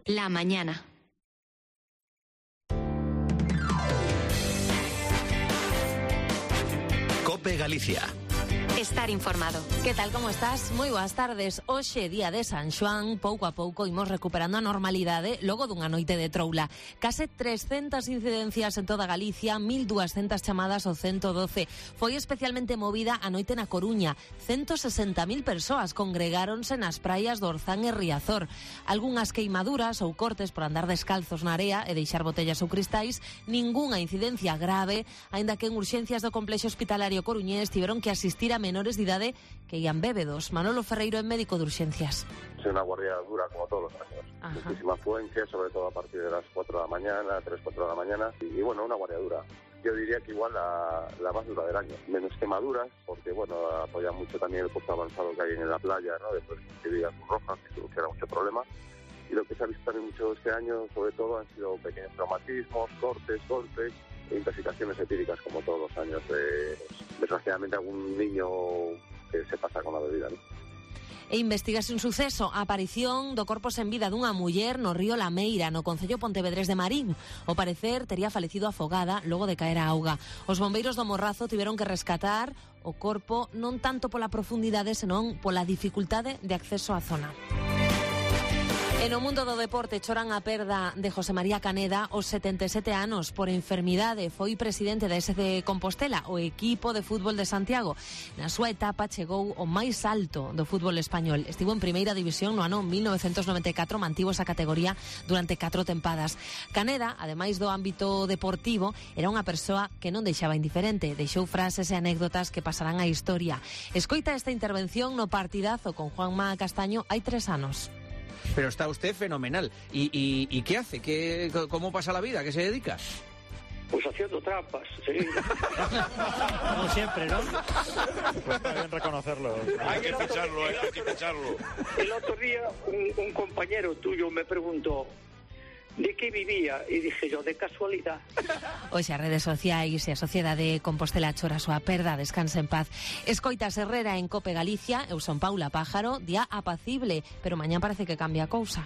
La mañana. COPE Galicia. Estar informado. Que tal, como estás? Moi boas tardes. Hoxe, día de San Xoán, pouco a pouco imos recuperando a normalidade logo dunha noite de troula. Case 300 incidencias en toda Galicia, 1.200 chamadas ao 112. Foi especialmente movida a noite na Coruña. 160.000 persoas congregáronse nas praias do Orzán e Riazor. Algunhas queimaduras ou cortes por andar descalzos na area e deixar botellas ou cristais. Ningunha incidencia grave, aínda que en urxencias do complexo hospitalario coruñés tiveron que asistir a menores de idade que ian bébedos. Manolo Ferreiro é médico de urxencias. Es una guardia dura como todos los años. Ajá. Muchísima afluencia, sobre todo a partir de las 4 de la mañana, 3, 4 de la mañana. Y bueno, una guardia dura. Yo diría que igual la más dura del año. Menos quemaduras, porque bueno, apoya mucho también el puesto avanzado que hay en la playa, ¿no? Después de Vigas Rojas, que soluciona mucho problema. Y lo que se ha visto también mucho este año, sobre todo, han sido pequeños traumatismos, cortes, golpes e intoxicaciones etíricas, como todos los años. Desgraciadamente algún niño que se pasa con la bebida, ¿no? E investigase un suceso, a aparición do corpo sen vida dunha muller no río Lameira, no concello Pontevedrés de Marín. Ao parecer, tería falecido afogada logo de caer a auga. Os bombeiros do Morrazo tiveron que rescatar o corpo non tanto pola profundidade, senón pola dificultade de acceso á zona. En o mundo do deporte choran a perda de José María Caneda aos 77 anos por enfermidade. Foi presidente da SC Compostela, o equipo de fútbol de Santiago. Na súa etapa chegou ao máis alto do fútbol español. Estivo en primeira división no ano 1994, mantivo esa categoría durante 4 tempadas. Caneda, ademais do ámbito deportivo, era unha persoa que non deixaba indiferente. Deixou frases e anécdotas que pasarán á historia. Escoita esta intervención no partidazo con Juanma Castaño hai 3 anos. Pero está usted fenomenal. ¿Y qué hace? ¿Cómo pasa la vida? ¿Qué se dedica? Pues haciendo trampas, sí. Como siempre, ¿no? Pues está bien reconocerlo. Hay que ficharlo. El otro día un compañero tuyo me preguntó ¿de qué vivía? E dije yo, de casualidad. Hoxe as redes sociais e a Sociedade Compostela chora a súa perda, descansa en paz. Escoitas Herrera en COPE Galicia, eu son Paula Pájaro, día apacible, pero mañán parece que cambia a cousa.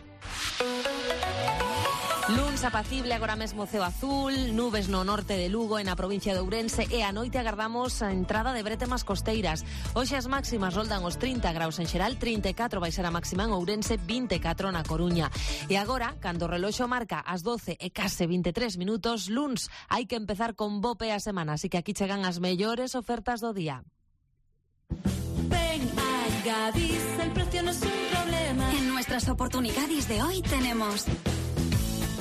Luns apacible, agora mesmo ceo azul, nubes no norte de Lugo e na provincia de Ourense e a noite agardamos a entrada de brétemas costeiras. Hoxe as máximas roldan os 30 graus en xeral, 34 vai ser a máxima en Ourense, 24 na Coruña. E agora, cando o reloxo marca as 12 e case 23 minutos, luns, hai que empezar con bo pé a semana, así que aquí chegan as mellores ofertas do día. Ven a Gadis, el precio no es un problema. En nuestras oportunidades de hoy tenemos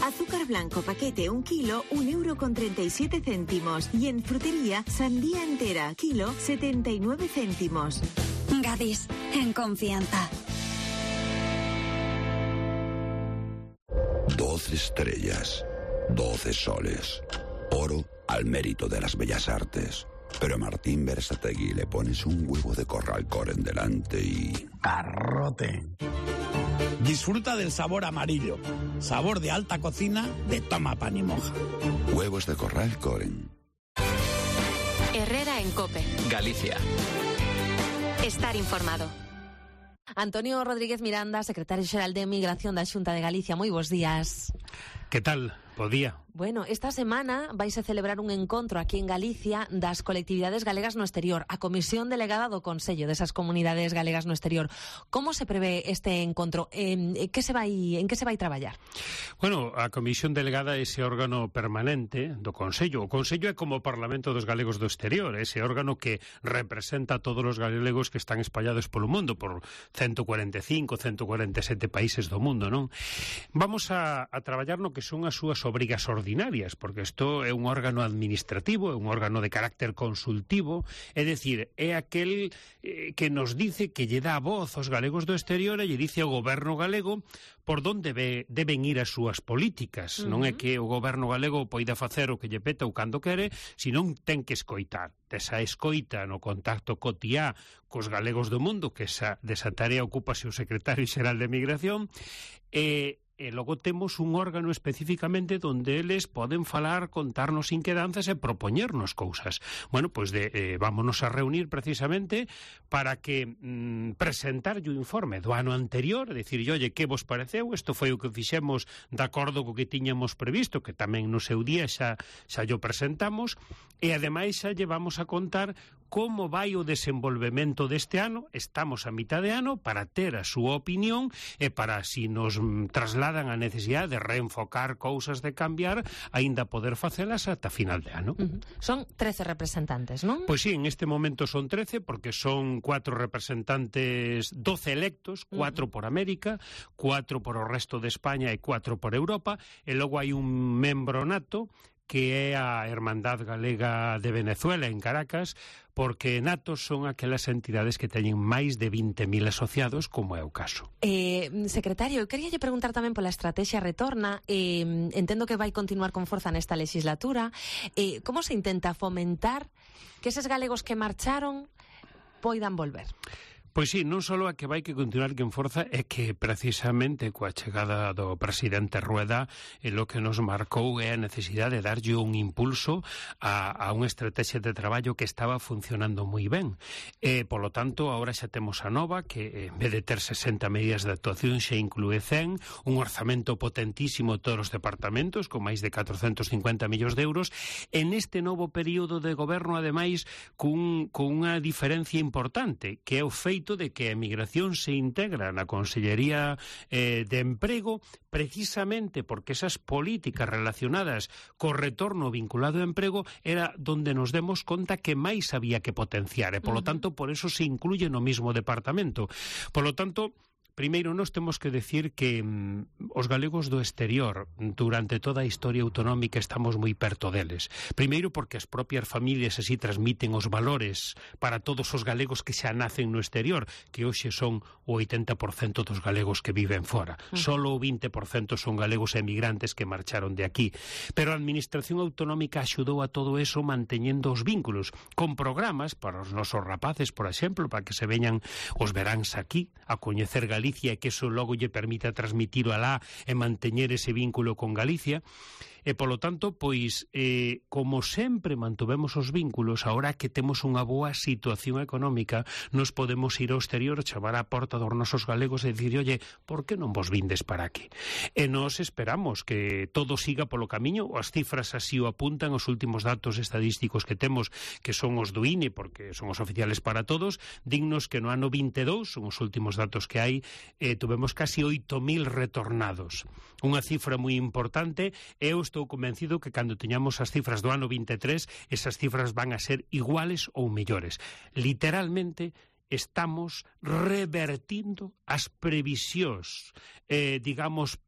azúcar blanco paquete 1 kilo, 1,37 €. Y en frutería, sandía entera, kilo, 79 céntimos. Gadis, en confianza. 12 estrellas, 12 soles, oro al mérito de las bellas artes. Pero a Martín Berasategui le pones un huevo de Corral Coren delante y... ¡garrote! Disfruta del sabor amarillo, sabor de alta cocina de Toma Pan y Moja. Huevos de Corral Coren. Herrera en COPE Galicia. Estar informado. Antonio Rodríguez Miranda, secretario xeral de Migración da Xunta de Galicia. Moi bons días. Que tal? Bo día. Bueno, esta semana vais a celebrar un encontro aquí en Galicia das colectividades galegas no exterior, a Comisión Delegada do Consello desas comunidades galegas no exterior. Como se prevé este encontro? En que se vai traballar? Bueno, a Comisión Delegada é ese órgano permanente do Consello. O Consello é como o Parlamento dos Galegos do Exterior, ese órgano que representa a todos os galegos que están espallados polo mundo, por 145, 147 países do mundo, non? Vamos a traballar no que son as súas obrigas ordinarias, porque isto é un órgano administrativo, é un órgano de carácter consultivo, é dicir, é aquel que nos dice, que lle dá a voz aos galegos do exterior e lle dice ao goberno galego por onde deben ir as súas políticas. Non é que o goberno galego poida facer o que lle peta ou cando quere, senón ten que escoitar. Desa escoita no contacto cotiá cos galegos do mundo, que desa tarea ocúpase o secretario xeral de Migración, e logo temos un órgano especificamente onde eles poden falar, contarnos inquedanzas e propoñernos cousas. Bueno, pois vámonos a reunir precisamente para que presentar o informe do ano anterior, dicir, oye, que vos pareceu? Isto foi o que fixemos de acordo co que tiñamos previsto, que tamén no seu día xa o presentamos, e ademais xa llevamos a contar como vai o desenvolvemento deste ano. Estamos a mitad de ano para ter a súa opinión e para, si nos trasladan a necesidade de reenfocar cousas, de cambiar, aínda poder facelas ata final de ano. Son 13 representantes, non? Pois sí, en este momento son 13, porque son 4 representantes, 12 electos, 4 por América, 4 por o resto de España e 4 por Europa, e logo hai un membro nato, que é a Hermandad Galega de Venezuela, en Caracas, porque natos son aquelas entidades que teñen máis de 20.000 asociados, como é o caso. Secretario, eu queríalle preguntar tamén pola estrategia Retorna. Entendo que vai continuar con forza nesta legislatura. Como se intenta fomentar que eses galegos que marcharon poidan volver? Pois sí, non só a que vai que continuar que en forza, é que precisamente coa chegada do presidente Rueda o que nos marcou é a necesidade de darlle un impulso a unha estrategia de traballo que estaba funcionando moi ben. Polo tanto, agora xa temos a nova, que en vez de ter 60 medidas de actuación xa inclúe 100, un orzamento potentísimo de todos os departamentos, con máis de 450 millóns de euros, en este novo período de goberno, ademais, con unha diferencia importante, que é o feito de que a emigración se integra na Consellería de Emprego, precisamente porque esas políticas relacionadas co retorno vinculado ao emprego era donde nos demos conta que máis había que potenciar, e polo tanto por eso se incluye no mismo departamento. Polo tanto, primeiro, nós temos que decir que os galegos do exterior durante toda a historia autonómica estamos moi perto deles. Primeiro porque as propias familias así transmiten os valores para todos os galegos que xa nacen no exterior, que hoxe son o 80% dos galegos que viven fora. Solo o 20% son galegos emigrantes que marcharon de aquí. Pero a Administración Autonómica axudou a todo eso manteñendo os vínculos, con programas para os nosos rapaces, por exemplo, para que se veñan os veráns aquí a coñecer Galicia, e que eso logo lle permita transmitilo alá e manteñer ese vínculo con Galicia. E, polo tanto, pois, como sempre mantuvemos os vínculos, agora que temos unha boa situación económica, nos podemos ir ao exterior, chamar á porta dos nosos galegos e dicir, oye, por que non vos vindes para aquí? E nos esperamos que todo siga polo camiño, as cifras así o apuntan, os últimos datos estadísticos que temos, que son os do INE, porque son os oficiales para todos, dignos que no ano 22, son os últimos datos que hai, tuvemos casi 8.000 retornados. Unha cifra moi importante, e eu estou convencido que cando teñamos as cifras do ano 23, esas cifras van a ser iguales ou mellores. Literalmente, estamos revertindo as previsións, digamos,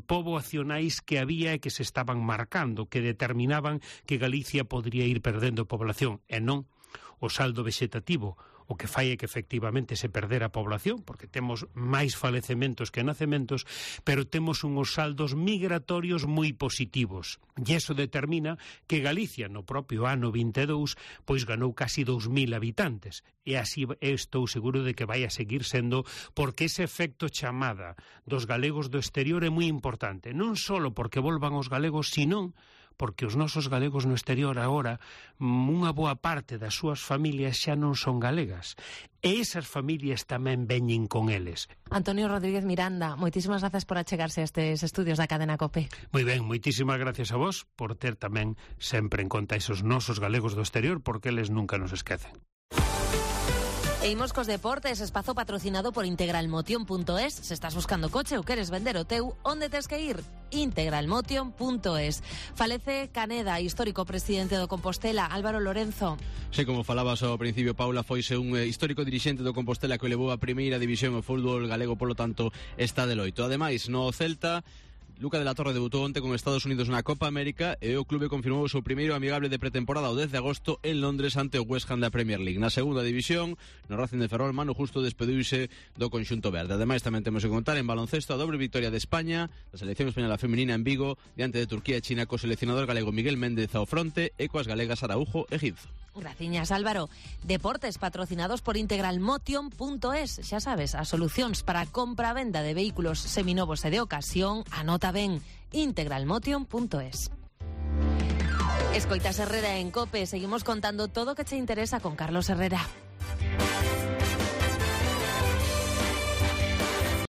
poboacionais que había e que se estaban marcando, que determinaban que Galicia podría ir perdendo población, e non o saldo vexetativo. O que fai é que efectivamente se perdera a población, porque temos máis falecementos que nacementos, pero temos unhos saldos migratorios moi positivos. E iso determina que Galicia, no propio ano 22, pois ganou casi 2.000 habitantes. E así estou seguro de que vai a seguir sendo, porque ese efecto chamada dos galegos do exterior é moi importante. Non só porque volvan os galegos, senón porque os nosos galegos no exterior agora, unha boa parte das súas familias xa non son galegas. E esas familias tamén veñen con eles. Antonio Rodríguez Miranda, moitísimas grazas por achegarse a estes estudios da cadena COPE. Moi ben, moitísimas gracias a vos por ter tamén sempre en conta esos nosos galegos do exterior, porque eles nunca nos esquecen. E imos cos deportes, espazo patrocinado por integralmotion.es. Se estás buscando coche ou queres vender o teu, onde tes que ir? integralmotion.es. Falece Caneda, histórico presidente do Compostela, Álvaro Lorenzo. Sí, como falabas ao principio, Paula, foise un histórico dirixente do Compostela que levou a primeira división o fútbol galego, polo tanto está de loito. Ademais, no Celta, Luca de la Torre debutou onte con Estados Unidos na Copa América e o clube confirmou o seu primeiro amigable de pretemporada o 10 de agosto en Londres ante o West Ham da Premier League. Na segunda división, no Racing de Ferrol, Manu Justo despediuse do conxunto verde. Ademais, tamén temos que contar en baloncesto a dobre victoria de España, da selección española feminina en Vigo, diante de Turquía e China, co seleccionador galego Miguel Méndez ao fronte e coas galegas Araujo e Giz. Graciñas, Álvaro. Deportes patrocinados por integralmotion.es. Xa sabes, as solucións para a compra-venda de vehículos seminovos e de ocasión, anota ben, integralmotion.es. Escoitas Herrera en COPE. Seguimos contando todo o que te interesa con Carlos Herrera.